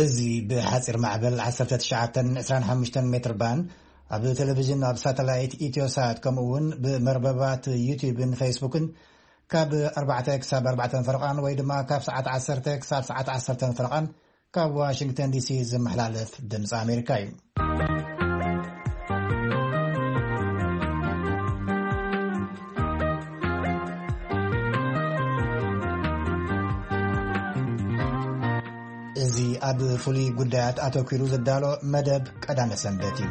እዚ ብሓጺር ማዕበል ዓሰርተ ትሽዓተ ዕስራን ሓሙሽተን ሜትር ባንድ፣ ኣብ ቴሌቪዥን፣ ኣብ ሳተላይት ኢትዮሳት፣ ከምኡ እውን ብመርበባት ዩቲዩብን ፌስቡክን ካብ ኣርባዕተ ክሳብ ኣርባዕተ ፈረቓን ወይ ድማ ካብ ሰዓት ዓሰርተ ክሳብ ሰዓት ዓሰርተ ፈረቓን ካብ ዋሽንግተን ዲሲ ዝመሓላለፍ ድምፂ ኣሜሪካ እዩ። እዚ ኣብ ፍሉይ ጉዳያት ኣተኲሩ ዝዳሎ መደብ ቀዳመ ሰንበት እዩ።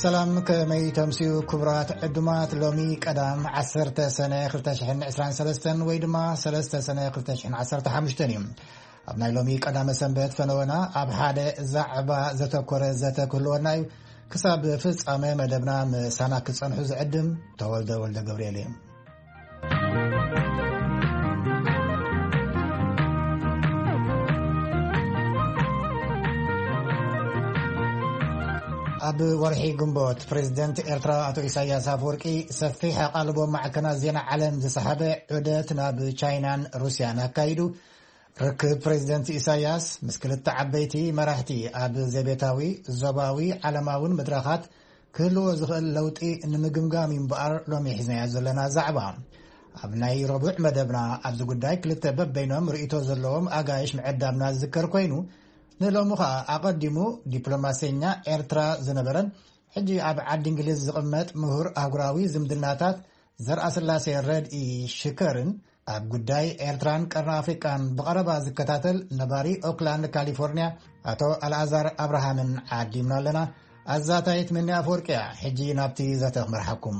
ሰላም፣ ከመይ ተምስዩ ክቡራት ዕዱማት? ሎሚ ቀዳም ዓሰርተ ሰነ ክልተ ሽሕን ዕስራን ሰለስተን ወይ ድማ ሰለስተ ሰነ ክልተ ሽሕን ዓሰርተ ሓሙሽተን እዩ። ኣብ ናይ ሎሚ ቀዳመ ሰንበት ፈነወና ኣብ ሓደ ዛዕባ ዘተኮረ ዘተ ክህልወና እዩ። ክሳብ ፍጻመ መደብና ምሳና ክጸንሑ ዝዕድም ተወልደ ወልደ ገብርኤል እዩ። ኣብ ወርሒ ግንቦት፣ ፕሬዝደንት ኤርትራ ኣቶ ኢሳያስ ኣፈወርቂ ሰፊሕ ኣቓልቦ ማዕከናት ዜና ዓለም ዝሰሓበ ዑደት ናብ ቻይናን ሩስያን ኣካይዱ። ርክብ ፕሬዝደንት ኢሳያስ ምስ ክልተ ዓበይቲ መራሕቲ ኣብ ዘቤታዊ፣ ዞባዊ፣ ዓለማውን መድረኻት ክህልዎ ዝኽእል ለውጢ ንምግምጋም እዩ እምበኣር ሎሚ ሒዝናዮ ዘለና ዛዕባ። ኣብ ናይ ረቡዕ መደብና ኣብዚ ጉዳይ ክልተ በበይኖም ርእይቶ ዘለዎም ኣጋይሽ ምዕዳምና ዝዝከር ኮይኑ፣ ንሎሚ ኸኣ ኣቐዲሙ ዲፕሎማሰኛ ኤርትራ ዝነበረን ሕጂ ኣብ ዓዲ እንግሊዝ ዝቕመጥ ምሁር ኣህጉራዊ ዝምድናታት ዘርኣስላሴ ረድኢ ሽከርን ኣብ ጉዳይ ኤርትራን ቀርኒ ኣፍሪቃን ብቐረባ ዝከታተል ነባሪ ኦክላንድ ካሊፎርኒያ ኣቶ ኣልኣዛር ኣብርሃምን ዓዲምና ኣለና። ኣዛታይት ምኒ ኣፈወርቅያ። ሕጂ ናብቲ ዘተ ክመርሓኩም።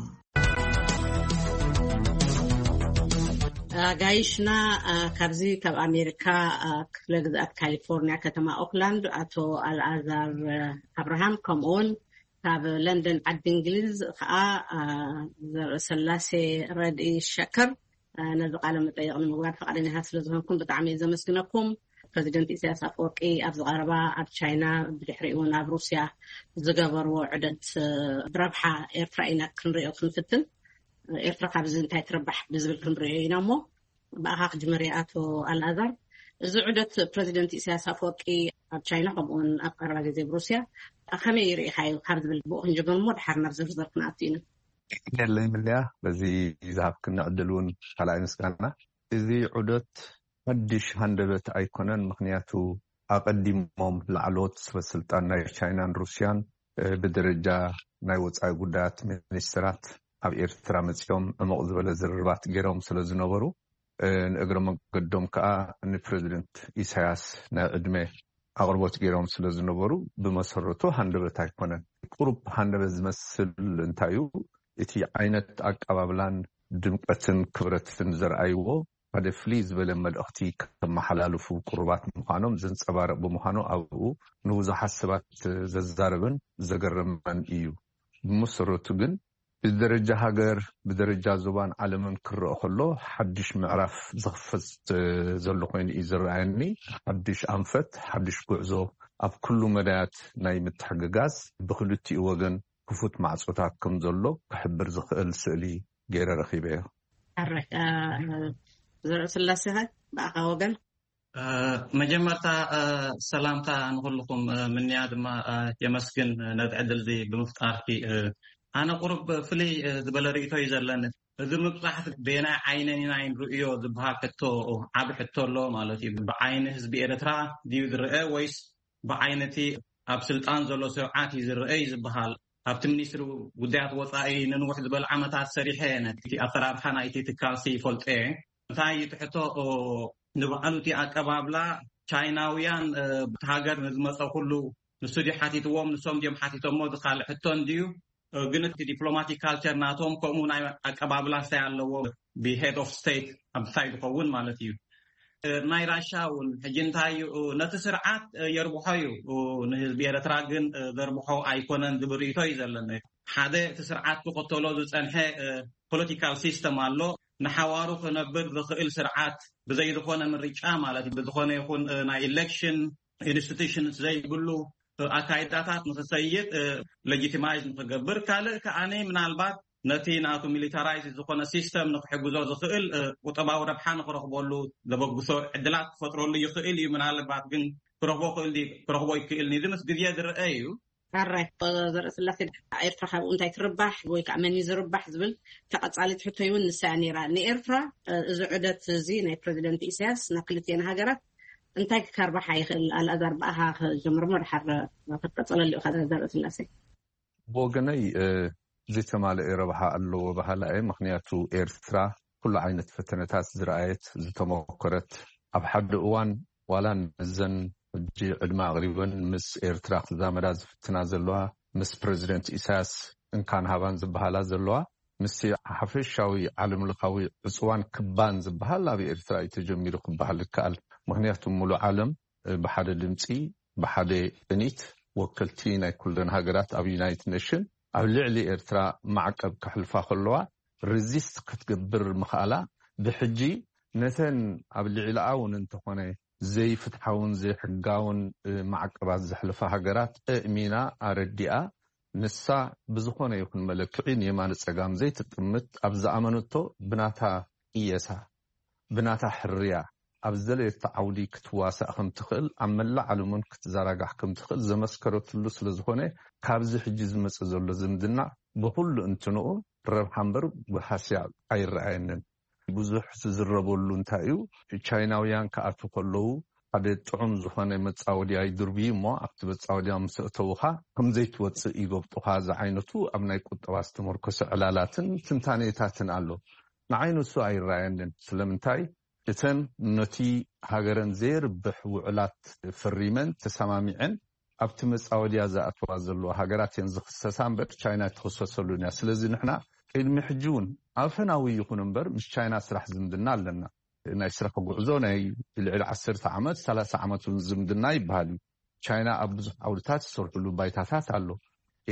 ኣጋይሽና፣ ኣ፣ ካብዚ ካብ ኣሜሪካ፣ ኣ፣ ክፍለ ግዝኣት ካሊፎርኒያ ከተማ ኦክላንድ ኣቶ ኣልኣዛር፣ ኣ፣ ኣብርሃም፣ ከምኡውን ካብ ለንደን ዓዲ እንግሊዝ ከዓ፣ ኣ፣ ዘርእሰላሴ ረድኢ ሸከር፣ አ፣ ነዚ ቃለ መጠይቕ ንምግባር ፈቃደኛታት ስለ ዝኾንኩም ብጣዕሚ እየ ዘመስግነኩም። ፕረዚደንት ኢሳያስ ኣፈወርቂ ኣብዚ ቀረባ ኣብ ቻይና ብድሕሪኡ እውን ኣብ ሩስያ ዝገበርዎ ዑደት፣ እ፣ ብረብሓ ኤርትራ ኢና ክንሪኦ ክንፍትን። ኤርትራ ካብዚ እንታይ ትረባሕ ብዝብል ክንሪኦ ኢና እሞ ብኣኻ ክጅምር እየ ኣቶ ኣልኣዛር። እዚ ዑደት ፕረዚደንት ኢሳያስ ኣፈወርቂ ኣብ ቻይና ከምኡውን ኣብ ቀረባ ግዜ ብሩስያ ከመይ ርኢኻዮ ካብ ዝብል ብኡ ክንጅምር እሞ ድሓር ናብ ዝርዝር ክንኣቱ ኢና። የለይ ምልያ፣ በዚ ዝሃብክኒ ዕድል እውን ካልኣይ ምስጋና። እዚ ዑደት ሓድሽ ሃንደበት ኣይኮነን፣ ምኽንያቱ ኣቐዲሞም ላዕለዎት ሰበ ስልጣን ናይ ቻይናን ሩስያን፣ እ፣ ብደረጃ ናይ ወጻኢ ጉዳያት ሚኒስትራት ኣብ ኤርትራ መጺኦም ዕሙቕ ዝበለ ዝርርባት ገይሮም ስለ ዝነበሩ፣ እ፣ ንእግረ መንገዶም ከኣ ንፕረዚደንት ኢሳያስ ናይ ዕድመ ኣቕርቦት ገይሮም ስለ ዝነበሩ፣ ብመሰረቱ ሃንደበት ኣይኮነን። ቁሩብ ሃንደበት ዝመስል እንታይ እዩ፣ እቲ ዓይነት ኣቀባብላን ድምቀትን ክብረትን ዘርኣይዎ ሓደ ፍልይ ዝበለ መልእኽቲ ከመሓላልፉ ቅሩባት ምዃኖም ዘንጸባርቕ ብምዃኑ፣ ኣብኡ ንብዙሓት ሰባት ዘዛረበን ዘገረመን እዩ። ብመሰረቱ ግን ብደረጃ ሃገር፣ ብደረጃ ዞባን ዓለምን ክረአ ከሎ፣ ሓድሽ ምዕራፍ ዝኽፈት ዘሎ ኮይኑ እዩ ዝረኣየኒ። ሓድሽ ኣንፈት፣ ሓድሽ ጉዕዞ ኣብ ኩሉ መዳያት ናይ ምትሕግጋዝ ብክልቲኡ ወገን ክፉት ማዕጾታት ከም ዘሎ ክሕብር ዝኽእል ስእሊ ገይረ ረኺበዮ። ሕራይ፣ እ፣ ዘርእስላሴ ኸ ብኣኻ ወገን? እ፣ መጀመርታ፣ እ፣ ሰላምታ ንኹልኹም፣ እ፣ ምንያ ድማ፣ እ፣ የመስግን፣ እ፣ ነዚ ዕድል እዚ ብምፍጣርኪ። እ፣ ኣነ ቁሩብ ፍልይ፣ እ፣ ዝበለ ርእይቶ እዩ ዘለኒ። እዚ ምብጻሕ በየናይ ዓይነን ኢና ንርእዮ ዝበሃል ሕቶ፣ ዓቢ ሕቶ ኣሎ ማለት እዩ። ብዓይኒ ህዝቢ ኤርትራ ድዩ ዝረአ ወይስ ብዓይኒ እቲ ኣብ ስልጣን ዘሎ ስርዓት እዩ ዝረአ እዩ ዝበሃል? ኣብቲ ሚኒስትሪ ጉዳያት ወጻኢ ንንውሕ ዝበለ ዓመታት ሰሪሐ እየ። ነቲ ኣሰራርሓ ናይቲ ትካልሲ ይፈልጦ እየ። እንታይ እዩ እቲ ሕቶ? ኦ፣ ንባዕሉ እቲ ኣቀባብላ ቻይናውያን፣ እ፣ ብቲ ሃገር ንዝመጸ ኩሉ ንሱ ድዩ ሓቲትዎም፣ ንሶም ድዮም ሓቲቶሞ፣ እዚ ካልእ ሕቶ እንድዩ። እ፣ ግን እቲ ዲፕሎማቲክ ካልቸር ናቶም ከምኡ ናይ ኣቀባብላ እንታይ ኣለዎ፣ ብሄድ ኦፍ ስቴት ኣብ እንታይ ዝኸውን ማለት እዩ። እ፣ ናይ ራሻ እውን ሕጂ እንታይ እዩ፣ እ፣ ነቲ ስርዓት፣ እ፣ የርብሖ እዩ፣ እ፣ ንህዝቢ ኤርትራ ግን፣ እ፣ ዘርብሖ ኣይኮነን ዝብል ርእይቶ እዩ ዘለኒ። ሓደ እቲ ስርዓት ክኽተሎ ዝጸንሐ፣ እ፣ ፖለቲካል ሲስተም ኣሎ። ንሓዋሩ ክነብር ዝኽእል ስርዓት ብዘይ ዝኾነ ምርጫ ማለት እዩ፣ ብዝኾነ ይኹን፣ እ፣ ናይ ኢሌክሽን ኢንስቲቱሽንስ ዘይብሉ፣ እ፣ ኣካይዳታት ንኽሰይድ፣ እ፣ ሌጂቲማይዝ ንኽገብር። ካልእ ከኣኒ ምናልባት ነቲ ናቱ ሚሊታራይዝ ዝኾነ ሲስተም ንክሕግዞ ዝኽእል ቁጠባዊ ረብሓ ንክረኽበሉ ዘበግሶ ዕድላት ክፈጥረሉ ይኽእል እዩ። ምናልባት ግን ክረኽቦ ክእል ክረኽቦ ይክእል ኒ ምስ ግዜ ዝረአ እዩ። ኣራይ ዘርኢ ስላሴ፣ ኤርትራ ካብኡ እንታይ ትርባሕ ወይ ከዓ መን እዩ ዝርባሕ ዝብል ተቐጻሊት ሕቶይ እውን ንሳያ ነይራ። ንኤርትራ እዚ ዑደት እዚ ናይ ፕሬዚደንት ኢሳያስ ናብ ክልቲኤን ሃገራት እንታይ ክካርባሓ ይኽእል? ኣልኣዛር፣ ብኣኻ ክጀምር ሞ ድሓር ክትቀጸለሉ ኢኻ? ዘርኢ ስላሴ። ብወገነይ ዝተማለአ ረብሓ ኣለዎ በሃላ እየ። ምክንያቱ ኤርትራ ኩሉ ዓይነት ፈተነታት ዝረኣየት፣ ዝተመኮረት፣ ኣብ ሓደ እዋን ዋላ ነዘን ሕጂ ዕድመ ኣቕሪበን ምስ ኤርትራ ክዛመዳ ዝፍትና ዘለዋ፣ ምስ ፕረዚደንት ኢሳያስ እንካን ሃባን ዝበሃላ ዘለዋ፣ ምስ ሓፈሻዊ ዓለምለኻዊ ዕፅዋን ክባን ዝበሃል ኣብ ኤርትራ እዩ ተጀሚሩ ክበሃል ይከኣል። ምክንያቱ ሙሉእ ዓለም ብሓደ ድምፂ፣ ብሓደ ቅኒት፣ ወከልቲ ናይ ኩለን ሃገራት ኣብ ዩናይትድ ኔሽን ኣብ ልዕሊ ኤርትራ ማዕቀብ ከሕልፋ ከለዋ ሪዚስት ክትገብር ምኽኣላ፣ ብሕጂ ነተን ኣብ ልዕሊኣ እውን እንተኾነ ዘይፍትሓውን ዘይሕጋውን ማዕቀባት ዘሕልፋ ሃገራት ኣእሚና ኣረዲኣ፣ ንሳ ብዝኾነ ይኹን መለክዒ ንየማነ ጸጋም ዘይትጥምት፣ ኣብ ዝኣመነቶ ብናታ ቅየሳ፣ ብናታ ሕርያ ኣብ ዝደለየቶ ዓውዲ ክትዋሳእ ከም ትኽእል፣ ኣብ መላእ ዓለም እውን ክትዘራጋሕ ከም ትኽእል ዘመስከረትሉ ስለ ዝኾነ፣ ካብዚ ሕጂ ዝመጽእ ዘሎ ዝምድና ብኹሉ እንትንኡ ረብሓ እምበር ብሃስያ ኣይረኣየንን። ብዙሕ ዝዝረበሉ እንታይ እዩ፣ ቻይናውያን ክኣትዉ ከለዉ ሓደ ጥዑም ዝኾነ መጻወድያ ይድርብዩ እሞ፣ ኣብቲ መጻወድያ ምስ ኣእተዉኻ ከም ዘይትወጽእ ይገብጡኻ ዝዓይነቱ ኣብ ናይ ቁጠባ ዝተመርኮሰ ዕላላትን ትንታኔታትን ኣሎ። ንዓይ ንሱ ኣይረኣየንን። ስለምንታይ? እተን ነቲ ሃገረን ዘየርብሕ ውዕላት ፈሪመን ተሰማሚዐን ኣብቲ መጻወድያ ዝኣትዋ ዘለዋ ሃገራት እየን ዝኽሰሳ እምበር ቻይና ኣይትኽሰሰሉን እያ። ስለዚ ንሕና ቅድሚ ሕጂ እውን ኣፈናዊ ይኹን እምበር ምስ ቻይና ስራሕ ዝምድና ኣለና። ናይ ስራሕ ጉዕዞ ናይ ልዕሊ ዓሰርተ ዓመት፣ ሰላሳ ዓመት እውን ዝምድና ይበሃል እዩ። ቻይና ኣብ ብዙሕ ዓውድታት ዝሰርሕሉ ባይታታት ኣሎ።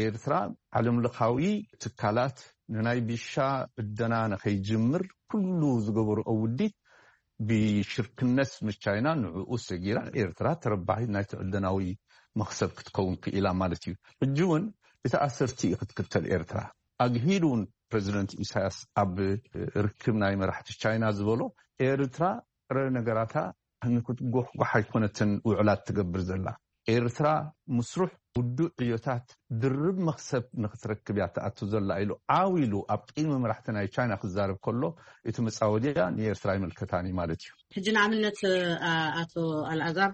ኤርትራ ዓለምለኻዊ ትካላት ንናይ ቢሻ ዕደና ንኸይጅምር ኩሉ ዝገበርኦ ውዲት ብሽርክነት ምስ ቻይና ንዕኡ ሰጊራ ኤርትራ ተረባሒት ናይቲ ዕደናዊ መኽሰብ ክትከውን ክኢላ ማለት እዩ። ሕጂ እውን እቲ ኣሰርት እዩ ክትክተል ኤርትራ። ኣግሂዱ እውን ፕረዚደንት ኢሳያስ ኣብ ርክብ ናይ መራሕቲ ቻይና ዝበሎ ኤርትራ ጥረ ነገራታ ንክትጎሕጓሕ ኣይኮነትን ውዕላት ትገብር ዘላ። ኤርትራ ምስሩሕ ውዱእ ዕዮታት ድርብ መኽሰብ ንክትረክብ እያ ትኣቱ ዘላ ኢሉ ዓው ኢሉ ኣብ ቅድሚ መራሕቲ ናይ ቻይና ክዛረብ ከሎ እቲ መጻወድያ ንኤርትራ ኣይምልከታን እዩ ማለት እዩ። ሕጂ ንኣብነት ኣቶ ኣልኣዛር፣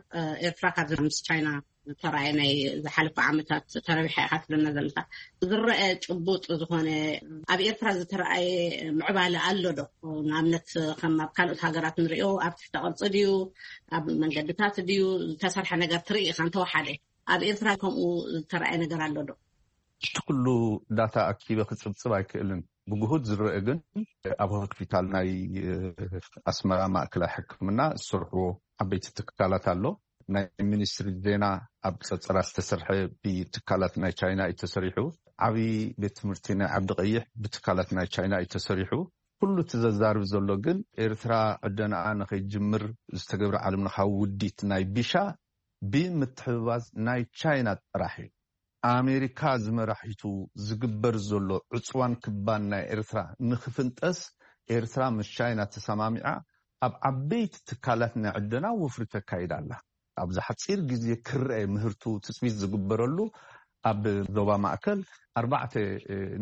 ኤርትራ ካብ ምስ ቻይና ዝተረኣየ ናይ ዝሓለፈ ዓመታት ተረቢሓ ኢኻ ትብለና ዘለካ። ዝረአ ጭቡጥ ዝኾነ ኣብ ኤርትራ ዝተረኣየ ምዕባለ ኣሎ ዶ? ንኣብነት ከም ኣብ ካልኦት ሃገራት ንሪኦ ኣብ ትሕተ ቅርፂ ድዩ፣ ኣብ መንገድታት ድዩ ዝተሰርሐ ነገር ትርኢ ኢኻ? እንተወሓደ ኣብ ኤርትራ ከምኡ ዝተረኣየ ነገር ኣሎ ዶ? እቲ ኩሉ ዳታ ኣኪበ ክፅብፅብ ኣይክእልን። ብግሁድ ዝረአ ግን ኣብ ሆስፒታል ናይ ኣስመራ ማእከላይ ሕክምና ዝሰርሕዎ ዓበይቲ ትካላት ኣሎ። ናይ ሚኒስትሪ ዜና ኣብ ፀፀራ ዝተሰርሐ ብትካላት ናይ ቻይና እዩ ተሰሪሑ። ዓብዪ ቤት ትምህርቲ ናይ ዓዲ ቀይሕ ብትካላት ናይ ቻይና እዩ ተሰሪሑ። ኩሉ እቲ ዘዛርብ ዘሎ ግን ኤርትራ ዕደናኣ ንኸይጅምር ዝተገብረ ዓለምለኻዊ ውዲት ናይ ቢሻ ብምትሕብባዝ ናይ ቻይና ጥራሕ እዩ። ኣሜሪካ ዝመራሒቱ ዝግበር ዘሎ ዕፅዋን ክባን ናይ ኤርትራ ንክፍንጠስ ኤርትራ ምስ ቻይና ተሰማሚዓ ኣብ ዓበይቲ ትካላት ናይ ዕደና ወፍሪ ተካይዳ ኣላ። ኣብዚ ሓፂር ግዜ ክረአ ምህርቱ ትፅቢት ዝግበረሉ ኣብ ዞባ ማእከል ኣርባዕተ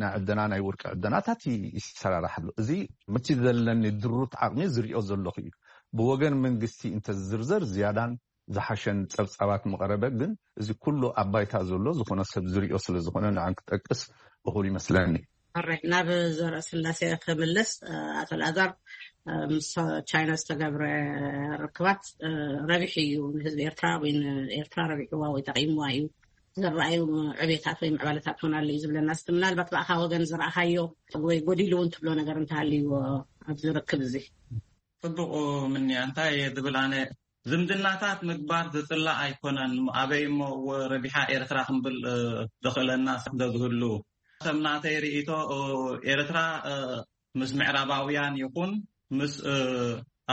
ናይ ዕደና ናይ ወርቂ ዕደናታት ይሰራራሕ ኣሎ። እዚ በቲ ዘለኒ ድሩት ዓቕሚ ዝሪኦ ዘለኹ እዩ። ብወገን መንግስቲ እንተዝዝርዘር ዝያዳን ዝሓሸን ጸብጻባት ምቐረበ፣ ግን እዚ ኩሉ ኣብ ባይታ ዘሎ ዝኾነ ሰብ ዝሪኦ ስለ ዝኾነ ንዓን ክጠቅስ እኹል ይመስለኒ። ሕራይ፣ ናብ ዘርእስላሴ ክምልስ። ኣቶ ኣልኣዛር፣ ምስ ቻይና ዝተገብረ ርክባት ረቢሑ እዩ ንህዝቢ ኤርትራ ወይ ንኤርትራ ረቢሕዋ ወይ ጠቒምዋ እዩ፣ ዝረኣዩ ዕቤታት ወይ ምዕባለታት እውን ኣሎ እዩ ዝብለና። እስቲ ምናልባት ብኣኻ ወገን ዝረኣኻዮ ወይ ጎዲሉ እውን ትብሎ ነገር እንተሃልይዎ ኣብዚ ርክብ እዚ። ጽቡቕ ምንያ፣ እንታይ እየ ዝብል ኣነ፣ ዝምድናታት ምግባር ዝጽላእ ኣይኮነን። ኣበይ እሞ ረቢሓ ኤርትራ ክንብል ዝኽእለና ስለ ዝህሉ፣ ከም ናተይ ርእይቶ ኤርትራ ምስ ምዕራባውያን ይኹን ምስ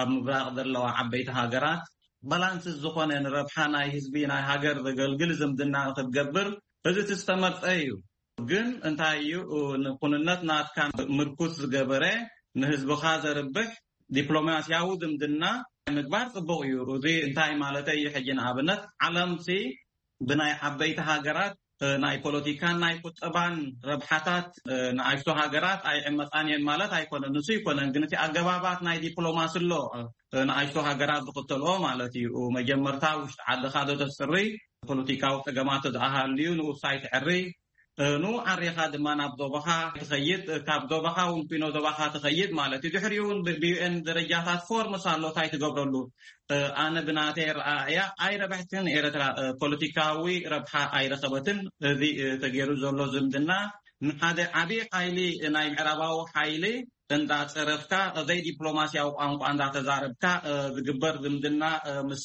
ኣብ ምብራቕ ዘለዋ ዓበይቲ ሃገራት ባላንስ ዝኾነ ንረብሓ ናይ ህዝቢ ናይ ሃገር ዘገልግል ዝምድና ንክትገብር እዚ እቲ ዝተመርጸ እዩ። ግን እንታይ እዩ፣ ንኩንነት ናትካ ምርኩስ ዝገበረ፣ ንህዝብኻ ዘርብሕ ዲፕሎማስያዊ ዝምድና ምግባር ጽቡቕ እዩ። እዚ እንታይ ማለተይ እዩ? ሕጂ ንኣብነት ዓለምሲ ብናይ ዓበይቲ ሃገራት ናይ ፖለቲካን ናይ ቁጠባን ረብሓታት ንኣሽቱ ሃገራት ኣይዕመጻን እየን ማለት ኣይኮነን፣ ንሱ ኣይኮነን። ግን እቲ ኣገባባት ናይ ዲፕሎማሲ ኣሎ፣ ንኣሽቱ ሃገራት ዝኽተልኦ ማለት እዩ። መጀመርታ ውሽጢ ዓድኻ ዶ ተስሪ፣ ፖለቲካዊ ጸገማት ተዝኣሃልዩ ንኡሳይ ትዕሪ፣ ኑ ዓሪኻ ድማ ናብ ዞባኻ ትኸይድ፣ ካብ ዞባኻ እውን ፊኖ ዞባኻ ትኸይድ ማለት እዩ። ድሕሪኡ እውን ብዩኤን ደረጃታት ፎርምስ ኣሎ እንታይ ትገብረሉ። ኣነ ብናተይ ረኣያ ኣይረብሕትን ኤርትራ፣ ፖለቲካዊ ረብሓ ኣይረኸበትን። እዚ ተገይሩ ዘሎ ዝምድና ንሓደ ዓብዪ ሓይሊ፣ ናይ ምዕራባዊ ሓይሊ እንዳጸረፍካ፣ ዘይዲፕሎማስያዊ ቋንቋ እንዳተዛረብካ ዝግበር ዝምድና ምስ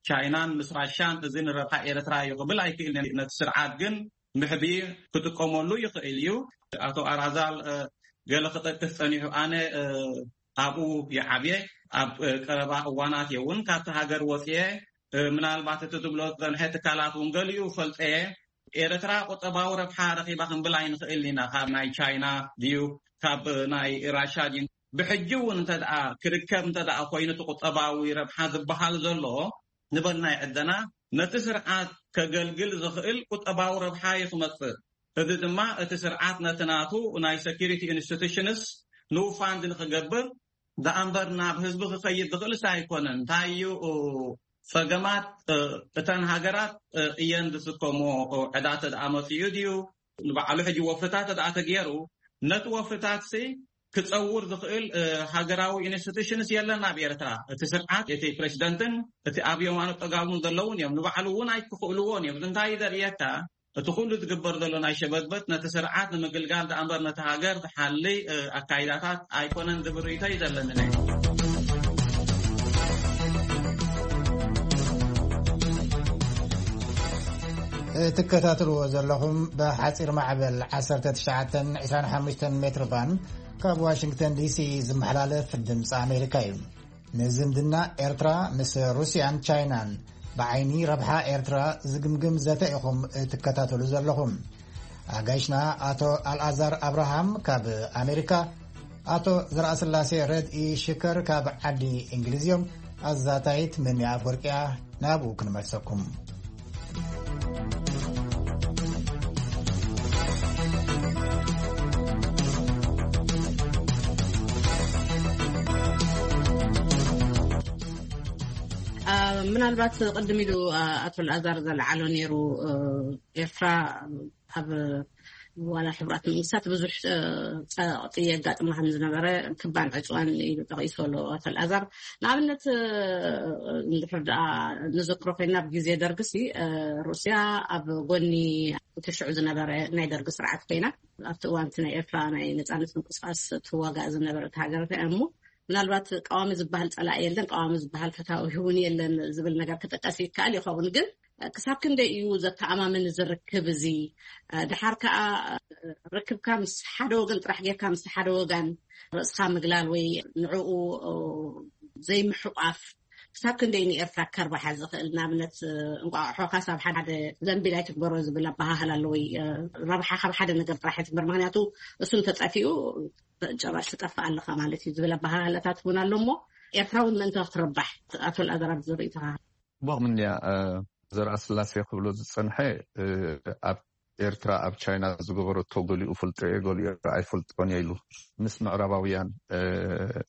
ቻይናን ምስ ራሻን እዚ ንረብሓ ኤርትራ እዩ ክብል ኣይክእልን። ነቲ ስርዓት ግን ምሕቢ ክጥቀመሉ ይኽእል እዩ። ኣቶ ኣራዛል ገለ ክጠቅስ ጸኒሑ፣ ኣነ ኣብኡ ይዓብየ፣ ኣብ ቀረባ እዋናት እየ እውን ካብቲ ሃገር ወፅየ። ምናልባት እቲ ትብሎ ዝፀንሐ ትካላት እውን ገሊኡ ፈልጠየ። ኤርትራ ቁጠባዊ ረብሓ ረኺባ ክንብል ኣይንኽእል ኢና፣ ካብ ናይ ቻይና ድዩ ካብ ናይ ራሻ ድዩ? ብሕጂ እውን እንተ ደኣ ክርከብ እንተ ደኣ ኮይኑ እቲ ቁጠባዊ ረብሓ ዝበሃል ዘሎ ንበል ናይ ዕደና ነቲ ስርዓት ከገልግል ዝኽእል ቁጠባዊ ረብሓ እዩ ክመጽእ። እዚ ድማ እቲ ስርዓት ነቲ ናቱ ናይ ሰኪሪቲ ኢንስቲቱሽንስ ንኡ ፋንድ ንክገብር ደኣምበር ናብ ህዝቢ ክኸይድ ዝኽእልስ ኣይኮነን። እንታይ እዩ ጸገማት? እተን ሃገራት እየን ዝስከሞ ዕዳ ተደኣ መጽኡ ድዩ ንባዕሉ ሕጂ ወፍታት ተደኣ ተገይሩ ነቲ ወፍታት ሲ ክጸውር ዝኽእል ሃገራዊ ኢንስቲቱሽንስ የለን ኣብ ኤርትራ። እቲ ስርዓት፣ እቲ ፕሬዚደንትን እቲ ኣብ የማኑ ጠጋሙን ዘለውን እዮም። ንባዕሉ እውን ኣይክኽእልዎን እዮም። እንታይ እዩ ዘርእየካ? እቲ ኩሉ ዝግበር ዘሎ ናይ ሸበድበት ነቲ ስርዓት ንምግልጋል ደኣ እምበር ነቲ ሃገር ዝሓሊ ኣካይዳታት ኣይኮነን ዝብል ርእይቶ እዩ ዘለኒ። ትከታተልዎ ዘለኹም ብሓፂር ማዕበል ዓሰርተ ትሽዓተ ዕስራን ሓሙሽተን ሜትር ባንድ ካብ ዋሽንግተን ዲሲ ዝመሓላለፍ ድምፂ ኣሜሪካ እዩ። ንዝምድና ኤርትራ ምስ ሩስያን ቻይናን ብዓይኒ ረብሓ ኤርትራ ዝግምግም ዘተ ኢኹም ትከታተሉ ዘለኹም። ኣጋይሽና ኣቶ ኣልኣዛር ኣብርሃም ካብ ኣሜሪካ፣ ኣቶ ዘርኣስላሴ ረድኢ ሽከር ካብ ዓዲ እንግሊዝ እዮም። ኣዛታይት መኒ ኣፍወርቅያ፣ ናብኡ ክንመልሰኩም። ምናልባት ቅድም ኢሉ ኣቶ ኣልኣዛር ዘልዓሎ ነይሩ፣ ኤርትራ ኣብ ዋላ ሕቡራት መንግስታት ብዙሕ ጸቕጢ የጋጥማ ከም ዝነበረ ክባን ዕፅዋን ኢሉ ጠቒሱ ኣሎ ኣቶ ኣልኣዛር። ንኣብነት እንድሕር ደኣ ንዘክሮ ኮይና ኣብ ግዜ ደርግሲ ሩስያ ኣብ ጎኒ እቲ ሽዑ ዝነበረ ናይ ደርጊ ስርዓት ኮይና ኣብቲ እዋንቲ ናይ ኤርትራ ናይ ነጻነት ምንቅስቃስ ትዋጋእ ዝነበረት ሃገር እያ እሞ ምናልባት ቀዋሚ ዝበሃል ጸላኢ የለን፣ ቀዋሚ ዝበሃል ፈታዊ እውን የለን ዝብል ነገር ክጥቀስ ይከኣል ይኸውን። ግን ክሳብ ክንደይ እዩ ዘተኣማምን ዝርክብ እዚ? ድሓር ከኣ ርክብካ ምስ ሓደ ወገን ጥራሕ ጌርካ ምስ ሓደ ወገን ርእስኻ ምግላል ወይ ንዕኡ ዘይምሕቋፍ ክሳብ ክንደይ ንኤርትራ ከርባሓ ዝኽእል? ንኣብነት እንቋቑሖ ካብ ሓደ ዘንቢል ኣይትግበሮ ዝብል ኣበሃህላ ኣሎ። ወይ ረብሓ ካብ ሓደ ነገር ጥራሕ ኣይትግበር፣ ምክንያቱ እሱ እንተጠፊኡ ጭራሽ ትጠፍእ ኣለኻ ማለት እዩ ዝብል ኣበሃህላታት እውን ኣሎ። እሞ ኤርትራ እውን ምእንቲ ክትርባሕ ኣቶ ኣልኣዛር ዝርእይቶኻ? ቦቕ ምንያ ዘርኣ ስላሴ ክብሎ ዝጸንሐ ኣብ ኤርትራ ኣብ ቻይና ዝገበረቶ ገሊኡ ፈልጦ እየ ገሊኡ ኣይፈልጦን እየ ኢሉ ምስ ምዕራባውያን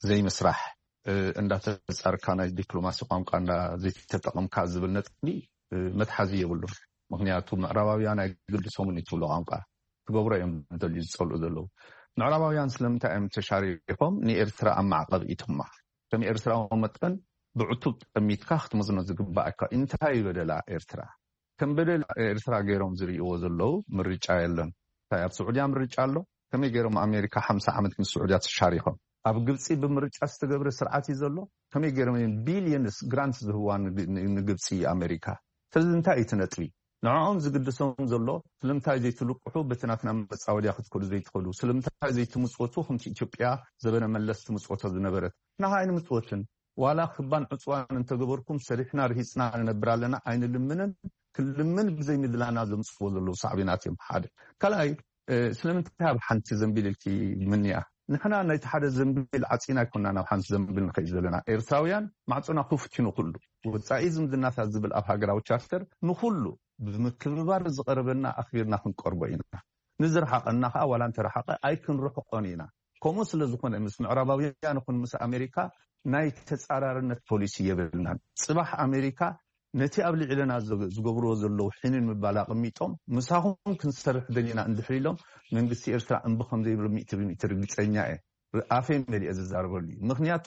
ዘይምስራሕ እንዳተጻርካ ናይ ዲፕሎማሲ ቋንቋ እንዳ ዘይተጠቐምካ ዝብል ነጥቢ መትሓዚ የብሉን። ምክንያቱ ምዕራባውያን ኣይግድሶምን እዩ ትብሎ ቋንቋ ክገብሮ እዮም ደልዩ ዝጸልኡ ዘለዉ። ምዕራባውያን ስለምንታይ እዮም ተሻሪኾም ንኤርትራ ኣብ ማዕቐብ ኢቶማ? ከም ኤርትራዊ መጠን ብዕቱብ ጠሚትካ ክትመዝኖ ዝግባኣካ እንታይ በደላ ኤርትራ? ከም በደል ኤርትራ ገይሮም ዝርእይዎ ዘለዉ ምርጫ የለን። እንታይ ኣብ ስዑድያ ምርጫ ኣሎ? ከመይ ገይሮም ኣሜሪካ ሓምሳ ዓመት ምስ ስዑድያ ተሻሪኾም? ኣብ ግብፂ ብምርጫ ዝተገብረ ስርዓት እዩ ዘሎ። ከመይ ገይሮም እዮም ቢልዮንስ ግራንት ዝህዋ ንግ- ንግብፂ ኣሜሪካ? ስለዚ እንታይ እዩ እቲ ነጥቢ? ንዕኦም ዝግድሶም ዘሎ ስለምንታይ ዘይትልቅሑ በቲ ናትና መፃወድያ ክትከዱ ዘይትኽእሉ? ስለምንታይ ዘይትምፅወቱ ከምቲ ኢትዮጵያ ዘበነ መለስ ትምፅወቶ ዝነበረት? ንሃ ኣይንምፅወትን። ዋላ ክባን ዕፅዋን እንተገበርኩም ሰሪሕና ርሂፅና ንነብር ኣለና ኣይንልምንን። ክንልምን ብዘይምድላና ዘምፅዎ ዘለዉ ሳዕቤናት እዮም ሓደ። ካልኣይ ስለምንታይ ኣብ ሓንቲ ዘንቢል ኢልኪ ምንያ? ንሕና ናይቲ ሓደ ዘንቢል ዓፂና ኣይኮና ናብ ሓንቲ ዘንቢል ንኸይድ ዘለና። ኤርትራውያን ማዕፆና ክፉት እዩ ንኹሉ። ወፃኢ ዝምድናታት ዝብል ኣብ ሃገራዊ ቻርተር ንኹሉ ብምክብባር ዝቐረበና ኣኽቢርና ክንቀርቦ ኢና። ንዝረሓቐና ከዓ ዋላ እንተረሓቐ ኣይክንርሕቆን ኢና። ከምኡ ስለ ዝኾነ ምስ ምዕራባውያን ይኹን ምስ ኣሜሪካ ናይ ተፃራርነት ፖሊሲ የብልናን። ፅባሕ ኣሜሪካ ነቲ ኣብ ልዕለና ዝገብርዎ ዘለዉ ሕንን ምባል ኣቐሚጦም ምሳኹም ክንሰርሕ ደሊና እንድሕር ኢሎም መንግስቲ ኤርትራ እምቢ ከም ዘይብሎ ሚእቲ ብሚእቲ ርግፀኛ እየ። ኣፈይ መሊአ ዝዛረበሉ እዩ። ምክንያቱ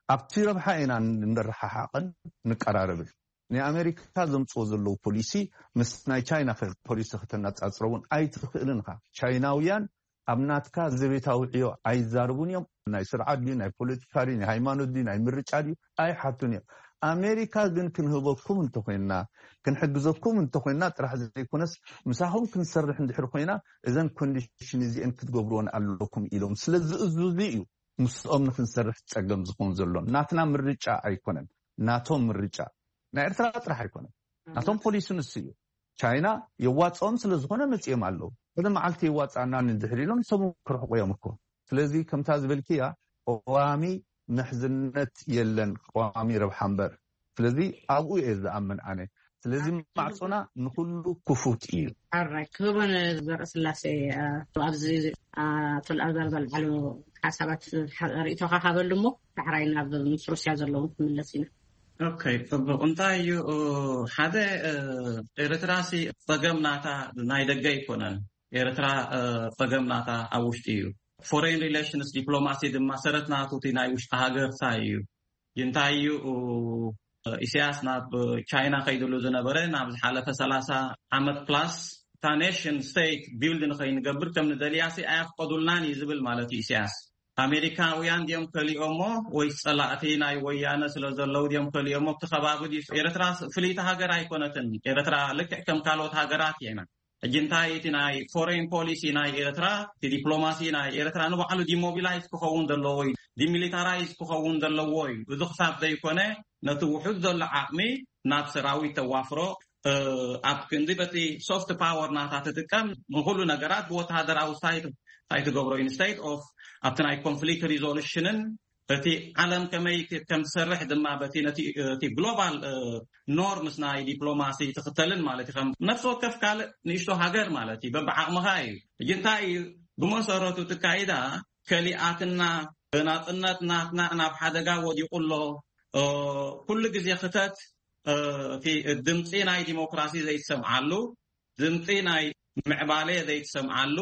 ኣብቲ ረብሓ ኢና ንረሓሓቕን ንቀራረብን። ናይ ኣሜሪካ ዘምፅዎ ዘለዉ ፖሊሲ ምስ ናይ ቻይና ፖሊሲ ከተነፃፅሮ እውን ኣይትኽእልን ኢኻ። ቻይናውያን ኣብ ናትካ ዘቤታዊ ዕዮ ኣይዛርቡን እዮም። ናይ ስርዓት ድዩ ናይ ፖለቲካ ድዩ ናይ ሃይማኖት ድዩ ናይ ምርጫ ድዩ ኣይሓቱን እዮም። ኣሜሪካ ግን ክንህበኩም እንተኮይንና ክንሕግዘኩም እንተኮይንና ጥራሕ ዘይኮነስ ምሳኹም ክንሰርሕ እንድሕር ኮይና እዘን ኮንዲሽን እዚአን ክትገብርዎን ኣለኩም ኢሎም ስለ ዝእዙዙ እዩ ምስኦም ንክንሰርሕ ፀገም ዝኸውን ዘሎ። ናትና ምርጫ ኣይኮነን፣ ናቶም ምርጫ። ናይ ኤርትራ ጥራሕ ኣይኮነን፣ ናቶም ፖሊሲ ንሱ እዩ። ቻይና የዋፅኦም ስለ ዝኾነ መፂኦም ኣለዉ። እዚ መዓልቲ የዋፅኣና እንድሕር ኢሎም ሰሙ ክርሕቁ እዮም እኮ። ስለዚ ከምታ ዝበልክያ ቀዋሚ ምሕዝነት የለን፣ ቀዋሚ ረብሓ እምበር። ስለዚ ኣብኡ እየ ዝኣምን ኣነ። ስለዚ ማዕፆና ንኩሉ ክፉት እዩ። ኣራይ ክህቦን ዘርኢ ስላሴ ኣብዚ ኣቶ ልኣዛር ዘልዓሉ ሓሳባት ርኢቶካ ካበሉ እሞ ዳሕራይ ናብ ምስ ሩስያ ዘለዎም ክምለስ ኢና። ኦኬ፣ ጽቡቕ። እንታይ እዩ ሓደ ኤርትራሲ ጸገም ናታ ናይ ደገ ኣይኮነን። ኤርትራ ጸገም ናታ ኣብ ውሽጢ እዩ። ፎሬን ሪሌሽንስ ዲፕሎማሲ ድማ ሰረት ናቱ እቲ ናይ ውሽጢ ሃገር ታይ እዩ። እንታይ እዩ ኢሳያስ ናብ ቻይና ከይድሉ ዝነበረ ናብ ዝሓለፈ ሰላሳ ዓመት ፕላስ እታ ኔሽን ስቴት ቢልድ ንኸይንገብር ከም ንደልያሲ ኣያፍቀዱልናን እዩ ዝብል ማለት እዩ ኢሳያስ። ኣሜሪካውያን ድዮም ከሊኦሞ ወይ ጸላእቲ ናይ ወያነ ስለ ዘለዉ ድዮም ከሊኦሞ? ኣብቲ ከባቢ ድዩ? ኤርትራ ፍልይቲ ሃገር ኣይኮነትን። ኤርትራ ልክዕ ከም ካልኦት ሃገራት እያ ኢና። ሕጂ እንታይ እቲ ናይ ፎሬን ፖሊሲ ናይ ኤርትራ፣ እቲ ዲፕሎማሲ ናይ ኤርትራ ንባዕሉ ዲሞቢላይዝ ክኸውን ዘለዎ እዩ፣ ዲሚሊታራይዝ ክኸውን ዘለዎ እዩ። እዚ ክሳብ ዘይኮነ ነቲ ውሑድ ዘሎ ዓቕሚ ናብ ሰራዊት ተዋፍሮ፣ ኣብ ክንዲ በቲ ሶፍት ፓወር ናታ ትጥቀም ንኩሉ ነገራት ብወተሃደራዊ ሳይት እንታይ ትገብሮ ኢንስቴድ ኦፍ ኣብቲ ናይ ኮንፍሊክት ሪዞሉሽንን እቲ ዓለም ከመይ ከም ትሰርሕ ድማ በቲ ነቲ እቲ ግሎባል ኖርምስ ናይ ዲፕሎማሲ ትኽተልን ማለት እዩ። ከም ነፍሲ ወከፍ ካልእ ንእሽቶ ሃገር ማለት እዩ። በብዓቕምኻ እዩ። ሕጂ እንታይ እዩ ብመሰረቱ ትካይዳ ከሊኣትና ናጽነት ናትና ናብ ሓደጋ ወዲቑ ኣሎ። ኩሉ ግዜ ክተት እቲ ድምፂ ናይ ዲሞክራሲ ዘይትሰምዓሉ፣ ድምፂ ናይ ምዕባለ ዘይትሰምዓሉ፣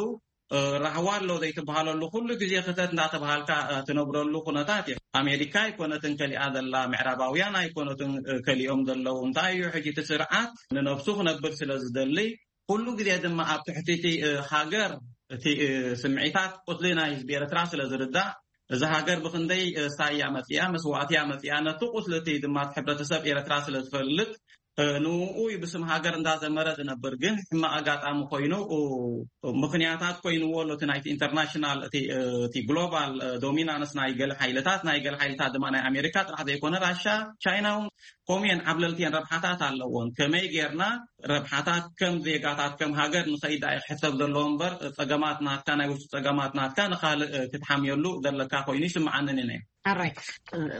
ራህዋ ኣሎ ዘይትበሃለሉ ኩሉ ግዜ ክተት እንዳተባሃልካ ትነብረሉ ኩነታት እዩ። ኣሜሪካ ኣይኮነትን ከሊኣ ዘላ፣ ምዕራባውያን ኣይኮነትን ከሊኦም ዘለዉ። እንታይ እዩ ሕጂ እቲ ስርዓት ንነብሱ ክነብር ስለ ዝደሊ ኩሉ ግዜ ድማ ኣብ ትሕቲ እቲ ሃገር እቲ ስምዒታት ቁስሊ ናይ ህዝቢ ኤርትራ ስለ ዝርዳእ እዚ ሃገር ብክንደይ ሳያ መፅያ መስዋእትያ መፅያ ነቲ ቁስሊ እቲ ድማ እቲ ሕብረተሰብ ኤርትራ ስለ ዝፈልጥ ንኡ እዩ ብስም ሃገር እንዳዘመረ ዝነብር። ግን ሕማቕ ኣጋጣሚ ኮይኑ ምክንያታት ኮይንዎ ኣሎ እቲ ናይቲ ኢንተርናሽናል እቲ ግሎባል ዶሚናንስ ናይ ገለ ሓይልታት ናይ ገለ ሓይልታት ድማ ናይ ኣሜሪካ ጥራሕ ዘይኮነ ራሻ ቻይና እውን ከምኡየን ዓብለልቲየን ረብሓታት ኣለዎን። ከመይ ጌርና ረብሓታት ከም ዜጋታት ከም ሃገር ንኸይዳ እዩ ክሕሰብ ዘለዎ እምበር ፀገማት ናትካ ናይ ውሽጢ ፀገማት ናትካ ንካልእ ክትሓምየሉ ዘለካ ኮይኑ ይስምዓንን እነ። ኣራይ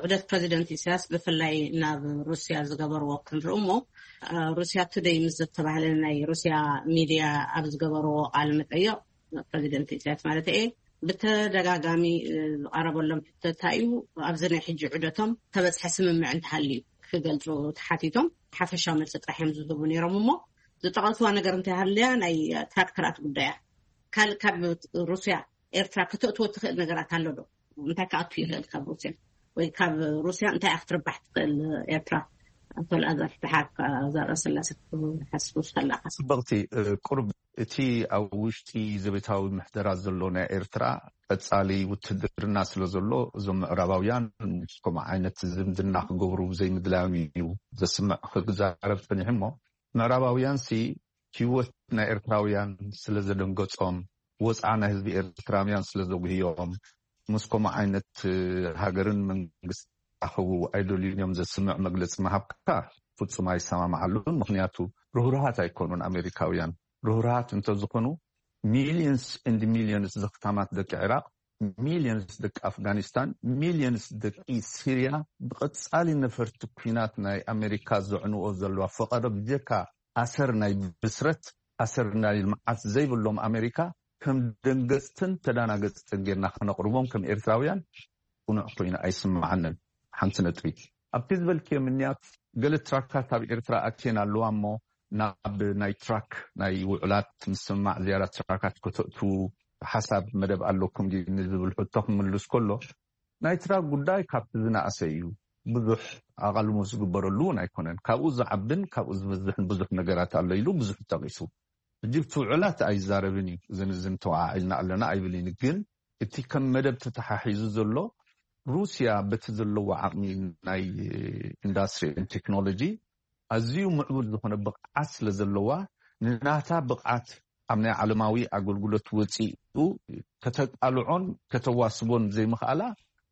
ዑደት ፕሬዚደንት ኢሳያስ ብፍላይ ናብ ሩስያ ዝገበርዎ ክንርኢ እሞ ሩስያ ቱደይ ምስ ዝተባህለ ናይ ሩስያ ሚድያ ኣብ ዝገበርዎ ቃል መጠየቕ ፕሬዚደንት ኢሳያስ ማለት እየ ብተደጋጋሚ ዝቐረበሎም ሕቶታ እዩ። ኣብዚ ናይ ሕጂ ዑደቶም ተበፅሐ ስምምዕ እንተሃልዩ ክገልፁ ተሓቲቶም ሓፈሻዊ መልፂ ጥራሕ እዮም ዝህቡ ነይሮም እሞ ዝጠቐስዋ ነገር እንተሃልያ ናይ ትራክተራት ጉዳያ ካልእ ካብ ሩስያ ኤርትራ ከተእትዎ ትኽእል ነገራት ኣሎ ዶ? እንታይ ክኣቱ ይኽእል ካብ ሩስያ ወይ ካብ ሩስያ እንታይ ክትርባሕ ትኽእል ኤርትራ? ኣቶ ልኣዛር ፍትሓ ዘርእስላሰ ክትሓስቡ ከላካ ጽብቕቲ ቁርብ እቲ ኣብ ውሽጢ ዘቤታዊ ምሕደራ ዘሎ ናይ ኤርትራ ቀጻሊ ውትድርና ስለ ዘሎ እዞም ምዕራባውያን ምስ ከምኡ ዓይነት ዝምድና ክገብሩ ዘይምድላዮም እዩ ዘስምዕ። ክዛረብ ጸኒሑ እሞ ምዕራባውያን ሲ ህይወት ናይ ኤርትራውያን ስለ ዘደንገጾም፣ ወጽዓ ናይ ህዝቢ ኤርትራውያን ስለ ዘጉህዮም፣ ምስ ከምኡ ዓይነት ሃገርን መንግስቲ ክራኸቡ ኣይደልዩን እዮም ዘስምዕ መግለጺ ምሃብካ ፍጹም ኣይሰማምዓሉን። ምኽንያቱ ርህሩሃት ኣይኮኑን ኣሜሪካውያን። ርህሩሃት እንተዝኾኑ ሚሊዮንስ ኤንድ ሚሊዮንስ ዘኽታማት ደቂ ዒራቕ፣ ሚሊዮንስ ደቂ ኣፍጋኒስታን፣ ሚሊዮንስ ደቂ ሲርያ ብቐጻሊ ነፈርቲ ኲናት ናይ ኣሜሪካ ዘዕንዎ ዘለዋ ፈቐዶ ብጀካ ኣሰር ናይ ብስረት ኣሰር ናይ ልምዓት ዘይብሎም ኣሜሪካ ከም ደንገጽትን ተዳናገጽትን ጌርና ከነቕርቦም ከም ኤርትራውያን ቅኑዕ ኮይኑ ኣይስምዓንን። ሓንቲ ነጥቢ ኣብቲ ዝበልክዮ ምንያት ገለ ትራካት ኣብ ኤርትራ ኣትየን ኣለዋ እሞ ናብ ናይ ትራክ ናይ ውዕላት ምስምማዕ ዝያዳ ትራካት ከተእትዉ ሓሳብ መደብ ኣለኩም ድዩ ንዝብል ሕቶ ክምልስ ከሎ ናይ ትራክ ጉዳይ ካብቲ ዝነኣሰ እዩ። ብዙሕ ኣቓልሞ ዝግበረሉ እውን ኣይኮነን። ካብኡ ዝዓብን ካብኡ ዝበዝሕን ብዙሕ ነገራት ኣሎ ኢሉ ብዙሕ ጠቒሱ። ሕጂ እቲ ውዕላት ኣይዛረብን እዩ። እዚ ንዝን ተወዓዒልና ኣለና ኣይብልን። ግን እቲ ከም መደብ ተተሓሒዙ ዘሎ ሩስያ በቲ ዘለዎ ዓቕሚ ናይ ኢንዳስትሪ ቴክኖሎጂ ኣዝዩ ምዕቡል ዝኾነ ብቕዓት ስለ ዘለዋ ንናታ ብቕዓት ኣብ ናይ ዓለማዊ ኣገልግሎት ወፂኡ ከተቃልዖን ከተዋስቦን ዘይምኽኣላ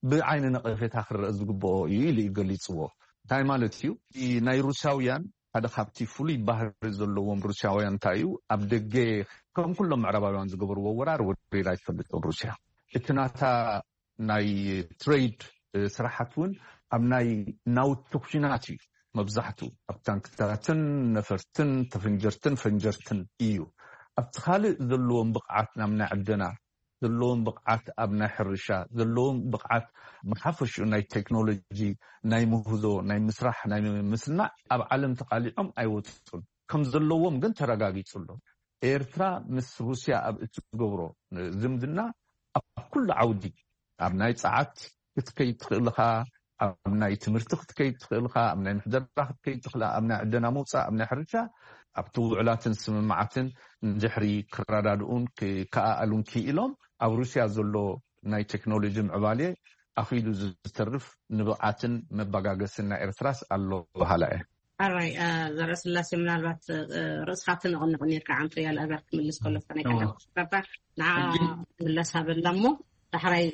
ብዓይኒ ነቐፌታ ክረአ ዝግብኦ እዩ ኢሉ እዩ ገሊፅዎ። እንታይ ማለት እዩ? ናይ ሩስያውያን ሓደ ካብቲ ፍሉይ ባህሪ ዘለዎም ሩስያውያን እንታይ እዩ? ኣብ ደገ ከም ኩሎም ምዕራባውያን ዝገበርዎ ወራር ወሪራ ኣይትፈልጥን ሩስያ። እቲ ናታ ናይ ትሬድ ስራሓት እውን ኣብ ናይ ናውቲ ኩናት እዩ። መብዛሕቱ ኣብ ታንክታትን ነፈርትን ተፈንጀርትን ፈንጀርትን እዩ። ኣብቲ ካልእ ዘለዎም ብቕዓት ናብ ናይ ዕደና ዘለዎም ብቕዓት ኣብ ናይ ሕርሻ ዘለዎም ብቕዓት ብሓፈሽኡ ናይ ቴክኖሎጂ ናይ ምህዞ ናይ ምስራሕ ናይ ምስናዕ ኣብ ዓለም ተቃሊዖም ኣይወፁን። ከም ዘለዎም ግን ተረጋጊፁ ኣሎ። ኤርትራ ምስ ሩስያ ኣብ እትገብሮ ዝምድና ኣብ ኩሉ ዓውዲ ኣብ ናይ ፀዓት ክትከይድ ትኽእል ኢኻ፣ ኣብ ናይ ትምህርቲ ክትከይድ ትኽእል ኢኻ፣ ኣብ ናይ ምሕደራ ክትከይድ ትኽእል ኢኻ፣ ኣብ ናይ ዕደና ምውፃእ፣ ኣብ ናይ ሕርሻ ኣብቲ ውዕላትን ስምምዓትን እንድሕሪ ክረዳድኡን ክከኣኣሉን ክኢሎም ኣብ ሩስያ ዘሎ ናይ ቴክኖሎጂ ምዕባሌ ኣኺሉ ዝተርፍ ንብቕዓትን መበጋገስን ናይ ኤርትራስ ኣሎ በሃላ እየ። ኣራይ ዘረስላሴ ምናልባት ርእስካ ትንቕንቕ ኔርካ ዓንቶ ያል ኣበር ክምልስ ከሎ ናይ ቀዳም ረባ ንዓ ምለስ ሃበላ እሞ ዳሕራይ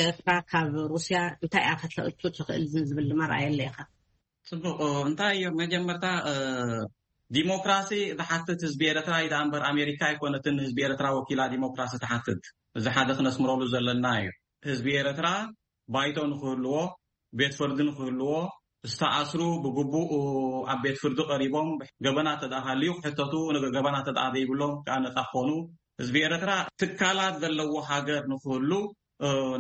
ኤርትራ ካብ ሩስያ እንታይ እያ ከተእቱ ትኽእል ዝብል ድማ ረኣየለ ኢኻ። ፅቡቅ እንታይ እዩ መጀመርታ ዲሞክራሲ ዝሓትት ህዝቢ ኤርትራ እዩ ደኣ እምበር ኣሜሪካ ኣይኮነትን ህዝቢ ኤርትራ ወኪላ ዲሞክራሲ ትሓትት። እዚ ሓደ ክነስምረሉ ዘለና እዩ። ህዝቢ ኤርትራ ባይቶ ንክህልዎ ቤት ፍርዲ ንክህልዎ ዝተኣስሩ ብግቡእ ኣብ ቤት ፍርዲ ቀሪቦም ገበና ተደኣ ሃልዩ ክሕተቱ ገበና ተደኣ ዘይብሎም ከዓ ነፃ ክኾኑ ህዝቢ ኤርትራ ትካላት ዘለዎ ሃገር ንክህሉ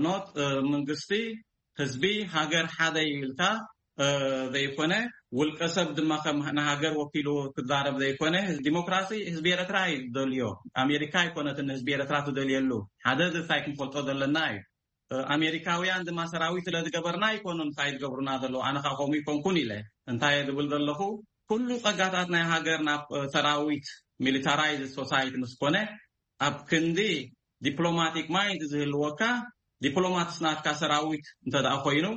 ኖት መንግስቲ ህዝቢ ሃገር ሓደ ኢልካ ዘይኮነ ውልቀ ሰብ ድማ ከም ንሃገር ወኪሉ ክዛረብ ዘይኮነ ዲሞክራሲ ህዝቢ ኤርትራ እዩ ዝደልዮ። ኣሜሪካ ኣይኮነትን ህዝቢ ኤርትራ ትደልየሉ ሓደ ዝታይ ክንፈልጦ ዘለና እዩ። ኣሜሪካውያን ድማ ሰራዊት ስለ ዝገበርና ኣይኮኑን እንታይ ዝገብሩና ዘለዉ ኣነ ከዓ ከምኡ ይኮንኩን ኢለ እንታይ እየ ዝብል ዘለኹ ኩሉ ፀጋታት ናይ ሃገር ናብ ሰራዊት ሚሊታራይዝ ሶሳይቲ ምስ ኮነ ኣብ ክንዲ ዲፕሎማቲክ ማይንድ ዝህልወካ ዲፕሎማትስ ናትካ ሰራዊት እንተ ደኣ ኮይኑ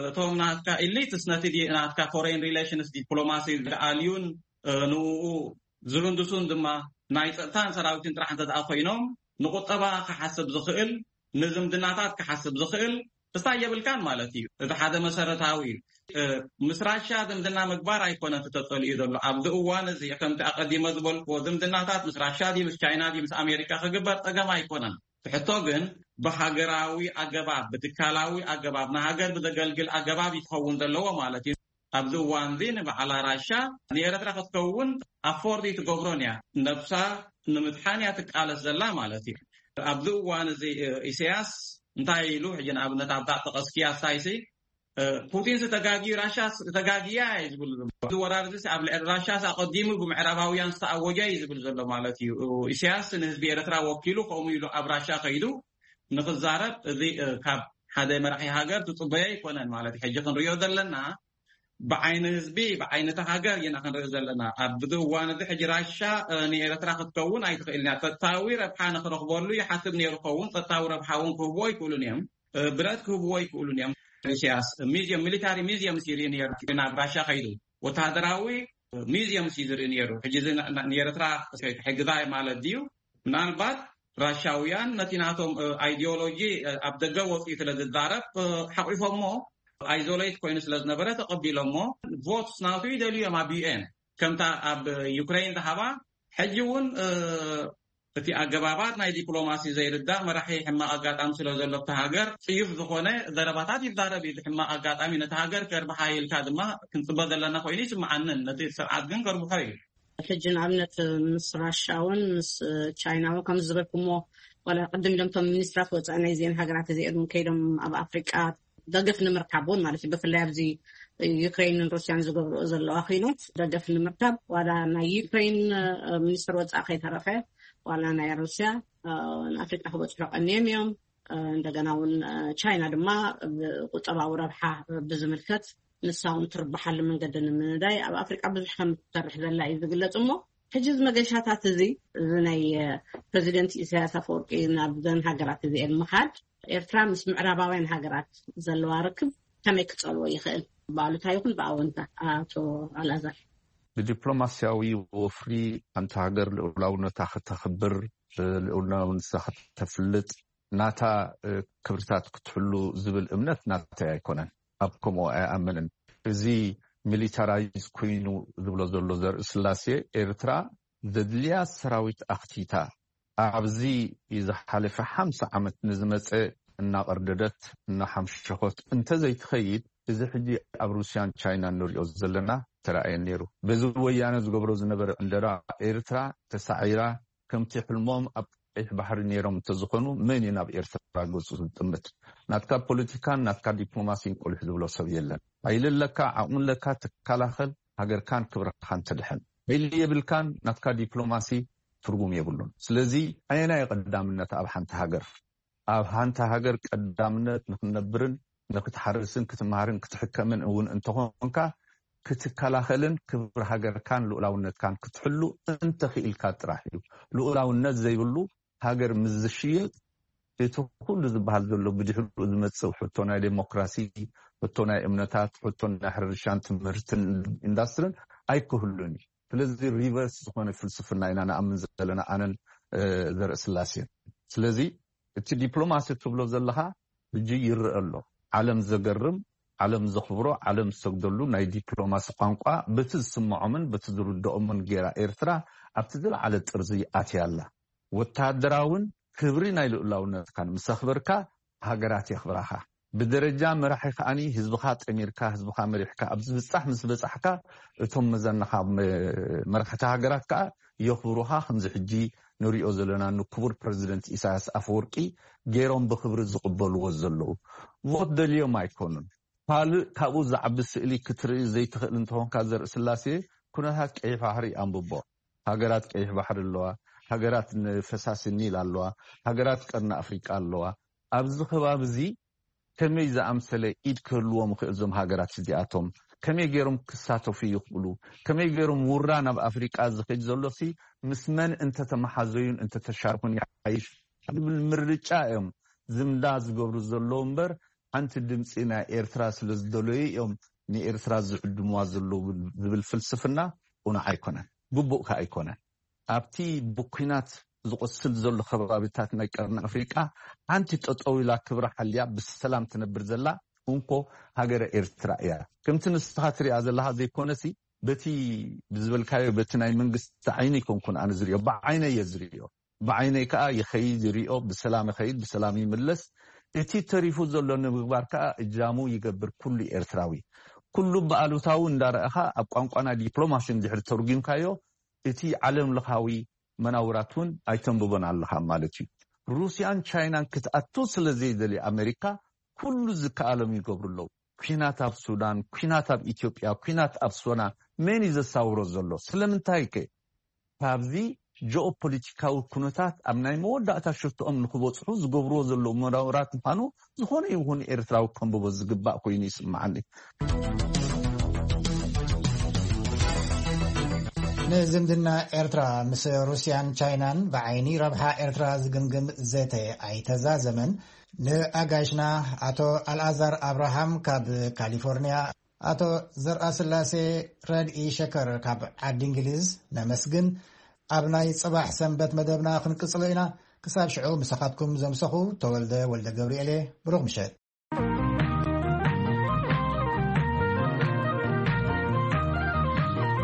እቶም ናትካ ኢሊትስ ነቲ ናትካ ፎሬን ሪሌሽንስ ዲፕሎማሲ ዝኣልዩን ንኡ ዝህንድሱን ድማ ናይ ፀጥታን ሰራዊትን ጥራሕ እንተ ደኣ ኮይኖም ንቁጠባ ክሓስብ ዝኽእል ንዝምድናታት ክሓስብ ዝኽእል ክስታይ የብልካን ማለት እዩ። እቲ ሓደ መሰረታዊ እዩ። ምስ ራሻ ዝምድና ምግባር ኣይኮነን ተተፀሊኡ ዘሎ ኣብዚ እዋን እዚ ከምቲ ኣቀዲመ ዝበልክዎ ዝምድናታት ምስ ራሻ ድዩ ምስ ቻይና ድዩ ምስ ኣሜሪካ ክግበር ፀገም ኣይኮነን። ትሕቶ ግን ብሃገራዊ ኣገባብ ብትካላዊ ኣገባብ ንሃገር ብዘገልግል ኣገባብ ይትኸውን ዘለዎ ማለት እዩ። ኣብዚ እዋን እዚ ንበዓላ ራሻ ንኤረትራ ክትከውን ኣፎርድ ይትገብሮን እያ ነብሳ ንምድሓን እያ ትቃለስ ዘላ ማለት እዩ። ኣብዚ እዋን እዚ ኢሳያስ እንታይ ኢሉ ሕጂ ንኣብነት ኣብዛ ጠቀስክያ ሳይሲ ፑቲንስ ተጋጊዩ ራሻስ ተጋጊያ እዩ ዝብሉ ዘሎ። እዚ ወራር እዚ ኣብ ልዕሊ ራሻስ ኣቀዲሙ ብምዕራባውያን ዝተኣወጀ እዩ ዝብል ዘሎ ማለት እዩ። ኢሳያስ ንህዝቢ ኤረትራ ወኪሉ ከምኡ ኢሉ ኣብ ራሻ ከይዱ ንክዛረብ እዚ ካብ ሓደ መራሒ ሃገር ትፅበዮ ኣይኮነን ማለት እዩ። ሕጂ ክንሪኦ ዘለና ብዓይኒ ህዝቢ ብዓይነቲ ሃገር ኢና ክንርኢ ዘለና ኣብዚ እዋን እዚ ሕጂ ራሻ ንኤረትራ ክትከውን ኣይትኽእልን እያ ፀጥታዊ ረብሓ ንክረኽበሉ ይሓስብ ነይሩ ኸውን ፀጥታዊ ረብሓ እውን ክህብዎ ኣይክእሉን እዮም ብረት ክህብዎ ኣይክእሉን እዮም ኢሳያስ ሚዚየም ሚሊታሪ ሚዚየምስ ይርኢ ነይሩ ናብ ራሻ ከይዱ ወታደራዊ ሚዚየምስ እዩ ዝርኢ ነይሩ ሕጂ ንኤረትራ ሕግዛይ ማለት ድዩ ምናልባት ራሻውያን ነቲ ናቶም ኣይዲዮሎጂ ኣብ ደገ ወፅኡ ስለ ዝዛረብ ሓቂፎሞ ኣይዞሌት ኮይኑ ስለ ዝነበረ ተቐቢሎሞ ቮትስ ናቱ ይደልዩ እዮም ኣብ ዩኤን ከምታ ኣብ ዩክሬን ዝሃባ ሕጂ እውን እቲ ኣገባባት ናይ ዲፕሎማሲ ዘይርዳእ መራሒ ሕማቕ ኣጋጣሚ ስለ ዘሎ ኣብቲ ሃገር ጽዩፍ ዝኾነ ዘረባታት ይዛረብ እዩ። እዚ ሕማቕ ኣጋጣሚ ነቲ ሃገር ከርብሓ ኢልካ ድማ ክንጽበ ዘለና ኮይኑ ይስምዓንን ነቲ ስርዓት ግን ከርብሖ እዩ። ሕጂ ንኣብነት ምስ ራሻ እውን ምስ ቻይና እውን ከም ዝበልኩሞ ዋላ ቅድም ኢሎም እቶም ሚኒስትራት ወፃኢ ናይ ዜን ሃገራት እዚኦም ከይዶም ኣብ ኣፍሪቃ ደገፍ ንምርካብ እውን ማለት እዩ። ብፍላይ ኣብዚ ዩክሬንን ሩስያን ዝገብርኦ ዘለዋ ኩናት ደገፍ ንምርካብ ዋላ ናይ ዩክሬን ሚኒስትር ወፃኢ ከይተረፈ ዋላ ናይ ሩስያ ንኣፍሪቃ ክበፅሑ ቀንዮም እዮም። እንደገና እውን ቻይና ድማ ቁጠባዊ ረብሓ ብዝምልከት ንሳ እውን ትርብሓሉ መንገዲ ንምንዳይ ኣብ ኣፍሪቃ ብዙሕ ከም ትሰርሕ ዘላ እዩ ዝግለፅ። እሞ ሕጂ እዚ መገሻታት እዚ እዚ ናይ ፕሬዚደንት ኢሳያስ ኣፈወርቂ ናብ ዘን ሃገራት እዚኤን ምኻድ ኤርትራ ምስ ምዕራባውያን ሃገራት ዘለዋ ርክብ ከመይ ክጸልዎ ይኽእል? ብኣሉታ ይኹን ብኣወንታ? ኣቶ ኣልኣዛር። ብዲፕሎማስያዊ ወፍሪ ሓንቲ ሃገር ልዑላውነታ ክተኽብር፣ ልዑላውነታ ክተፍልጥ፣ ናታ ክብርታት ክትሕሉ ዝብል እምነት ናተይ ኣይኮነን። ኣብ ከምኡ ኣይኣምንን። እዚ ሚሊታራይዝ ኮይኑ ዝብሎ ዘሎ ዘርኢ ስላሴ ኤርትራ ዘድልያ ሰራዊት ኣኽቲታ ኣብዚ ዝሓለፈ ሓምሳ ዓመት ንዝመፀ እናቐርደደት እናሓምሸኾት እንተዘይትኸይድ እዚ ሕጂ ኣብ ሩስያን ቻይናን ንሪኦ ዘለና ተረኣየን ነይሩ። በዚ ወያነ ዝገብሮ ዝነበረ ዕንደራ ኤርትራ ተሳዒራ ከምቲ ሕልሞም ኣብ ቀይሕ ባሕሪ ነይሮም እንተዝኾኑ መን እዩ ናብ ኤርትራ ገፁ ዝጥምት? ናትካ ፖለቲካን ናትካ ዲፕሎማሲን ቆሊሕ ዝብሎ ሰብ የለን። ሓይሊ ኣለካ፣ ዓቕሚ ኣለካ፣ ትከላኸል ሃገርካን ክብርኻን ተድሕን። ሓይሊ የብልካን ናትካ ዲፕሎማሲ ትርጉም የብሉን። ስለዚ ኣየናይ ቀዳምነት ኣብ ሓንቲ ሃገር? ኣብ ሓንቲ ሃገር ቀዳምነት ንክትነብርን ንክትሓርስን ክትመሃርን ክትሕከምን እውን እንተኾንካ ክትከላኸልን ክብሪ ሃገርካን ልኡላውነትካን ክትሕሉ እንተኽኢልካ ጥራሕ እዩ። ልኡላውነት ዘይብሉ ሃገር ምስ ዝሽየጥ እቲ ኩሉ ዝበሃል ዘሎ ብድሕሪኡ ዝመፅእ ሕቶ ናይ ዴሞክራሲ፣ ሕቶ ናይ እምነታት፣ ሕቶ ናይ ሕርሻን ትምህርትን ኢንዳስትርን ኣይክህሉን እዩ። ስለዚ ሪቨርስ ዝኾነ ፍልስፍና ኢና ንኣምን ዘለና ኣነን ዘርኢ ስላሴን። ስለዚ እቲ ዲፕሎማሲ ትብሎ ዘለኻ ሕጂ ይረአ ኣሎ። ዓለም ዘገርም፣ ዓለም ዘኽብሮ፣ ዓለም ዝሰግደሉ ናይ ዲፕሎማሲ ቋንቋ በቲ ዝስምዖምን በቲ ዝርድኦምን ጌራ ኤርትራ ኣብቲ ዝለዓለ ጥርዚ ኣትያ ኣላ። ወተሃደራውን ክብሪ ናይ ልኡላውነትካን ምስ ኣኽበርካ ሃገራት የኽብራኻ። ብደረጃ መራሒ ከኣኒ ህዝብኻ ጠሚርካ ህዝብኻ መሪሕካ ኣብ ዝብጻሕ ምስ በጻሕካ እቶም መዘናኻ መራሕቲ ሃገራት ከኣ የኽብሩኻ። ከምዚ ሕጂ ንሪኦ ዘለና ንክቡር ፕረዚደንት ኢሳያስ ኣፈወርቂ ገይሮም ብክብሪ ዝቕበልዎ ዘለዉ ቮት ደልዮም ኣይኮኑን። ካልእ ካብኡ ዝዓቢ ስእሊ ክትርኢ ዘይትኽእል እንተኾንካ ዘርኢ ስላሴ ኩነታት ቀይሕ ባሕሪ ኣንብቦ። ሃገራት ቀይሕ ባሕሪ ኣለዋ፣ ሃገራት ንፈሳሲ ኒል ኣለዋ፣ ሃገራት ቀርኒ ኣፍሪቃ ኣለዋ። ኣብዚ ከባቢ እዚ ከመይ ዝኣምሰለ ኢድ ክህልዎም ይኽእል? እዞም ሃገራት እዚኣቶም ከመይ ገይሮም ክሳተፉ ይኽእሉ? ከመይ ገይሮም ውራ ናብ ኣፍሪቃ ዝኸድ ዘሎሲ ምስ መን እንተተመሓዘዩን እንተተሻርኹን ይሓይሽ ዝብል ምርጫ እዮም ዝምዳ ዝገብሩ ዘለዉ እምበር ሓንቲ ድምፂ ናይ ኤርትራ ስለ ዝደለዩ እዮም ንኤርትራ ዝዕድምዋ ዘለዉ ዝብል ፍልስፍና ቁኑዕ ኣይኮነን፣ ግቡእ ከ ኣይኮነን። ኣብቲ ብኲናት ዝቆስል ዘሎ ከባቢታት ናይ ቀርኒ ኣፍሪቃ ሓንቲ ጠጠው ኢላ ክብራ ሓልያ ብሰላም ትነብር ዘላ እንኮ ሃገረ ኤርትራ እያ። ከምቲ ንስኻ ትሪኣ ዘለኻ ዘይኮነሲ በቲ ብዝበልካዮ በቲ ናይ መንግስቲ ዓይኒ ኣይኮንኩን ኣነ ዝሪኦ፣ ብዓይነ እየ ዝሪኦ። ብዓይነይ ከዓ ይኸይድ ይሪኦ፣ ብሰላም ይኸይድ ብሰላም ይምለስ። እቲ ተሪፉ ዘሎ ንምግባር ከዓ እጃሙ ይገብር ኩሉ ኤርትራዊ። ኩሉ ብኣሉታዊ እንዳረኣኻ ኣብ ቋንቋና ዲፕሎማሲ እንድሕር ተርጉምካዮ እቲ ዓለም ለኻዊ መናውራት እውን ኣይተንብቦን ኣለኻ ማለት እዩ። ሩስያን ቻይናን ክትኣቱ ስለ ዘይደልዩ ኣሜሪካ ኩሉ ዝከኣሎም ይገብሩ ኣለዉ። ኲናት ኣብ ሱዳን፣ ኲናት ኣብ ኢትዮጵያ፣ ኲናት ኣብ ሶና መን እዩ ዘሳውሮ ዘሎ? ስለምንታይ ከ? ካብዚ ጂኦፖለቲካዊ ኩነታት ኣብ ናይ መወዳእታ ሽቶኦም ንክበፅሑ ዝገብርዎ ዘለዉ መናውራት ምዃኑ ዝኾነ ይኹን ኤርትራዊ ከንብቦ ዝግባእ ኮይኑ ይስምዓኒ። ንዝምድና ኤርትራ ምስ ሩስያን ቻይናን ብዓይኒ ረብሓ ኤርትራ ዝግምግም ዘተ ኣይተዛዘመን። ንኣጋይሽና ኣቶ ኣልኣዛር ኣብርሃም ካብ ካሊፎርኒያ፣ ኣቶ ዘርኣስላሴ ረድኢ ሸከር ካብ ዓዲ እንግሊዝ ነመስግን። ኣብ ናይ ጽባሕ ሰንበት መደብና ክንቅጽሎ ኢና። ክሳብ ሽዑ ምሳኻትኩም ዘምሰኹ ተወልደ ወልደ ገብርኤል እየ። ብሩኽ ምሸት።